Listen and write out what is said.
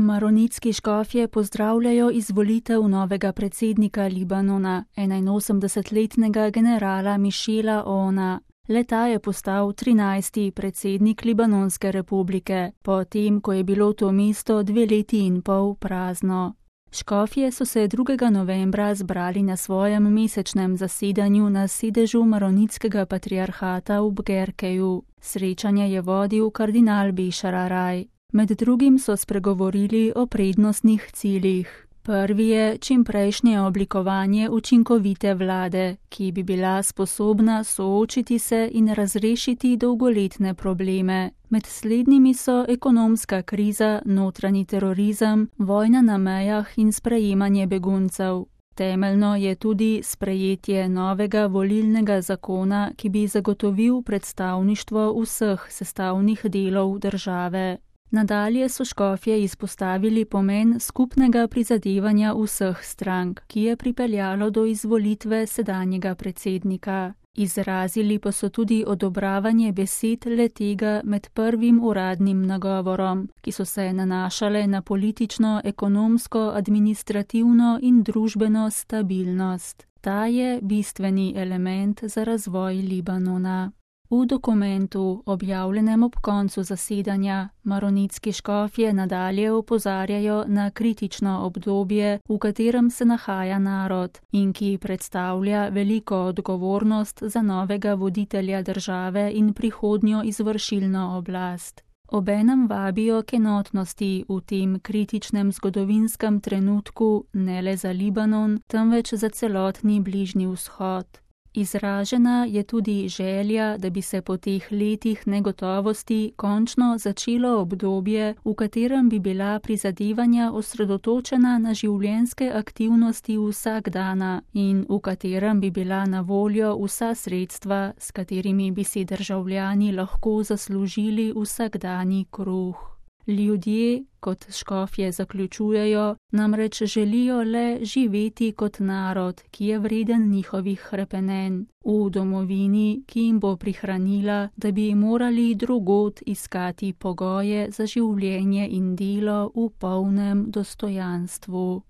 Maronitski škofje pozdravljajo izvolitev novega predsednika Libanona, 81-letnega generala Michela Aouna. Le-ta je postal 13. predsednik Libanonske republike, potem ko je bilo to mesto 2 leti in pol prazno. Škofje so se 2. novembra zbrali na svojem mesečnem zasedanju na sedežu Maronitskega patriarhata v Bgerkeju. Srečanje je vodil kardinal Bešar Araj. Med drugim so spregovorili o prednostnih ciljih. Prvi je čimprejšnje oblikovanje učinkovite vlade, ki bi bila sposobna soočiti se in razrešiti dolgoletne probleme. Med slednjimi so ekonomska kriza, notranji terorizem, vojna na mejah in sprejemanje beguncev. Temeljno je tudi sprejetje novega volilnega zakona, ki bi zagotovil predstavništvo vseh sestavnih delov države. Nadalje so škofje izpostavili pomen skupnega prizadevanja vseh strank, ki je pripeljalo do izvolitve sedanjega predsednika. Izrazili pa so tudi odobravanje besed le-tega med prvim uradnim nagovorom, ki so se nanašale na politično, ekonomsko, administrativno in družbeno stabilnost. Ta je bistveni element za razvoj Libanona. V dokumentu, objavljenem ob koncu zasedanja, maronitski škofje nadalje opozarjajo na kritično obdobje, v katerem se nahaja narod in ki predstavlja veliko odgovornost za novega voditelja države in prihodnjo izvršilno oblast. Obenem vabijo k enotnosti v tem kritičnem zgodovinskem trenutku ne le za Libanon, temveč za celotni Bližnji vzhod. Izražena je tudi želja, da bi se po teh letih negotovosti končno začelo obdobje, v katerem bi bila prizadevanja osredotočena na življenjske aktivnosti vsakdana in v katerem bi bila na voljo vsa sredstva, s katerimi bi si državljani lahko zaslužili vsakdani kruh. Ljudje, kot škofje zaključujejo, namreč želijo le živeti kot narod, ki je vreden njihovih hrepenenj, v domovini, ki jim bo prihranila, da bi morali drugod iskati pogoje za življenje in delo v polnem dostojanstvu.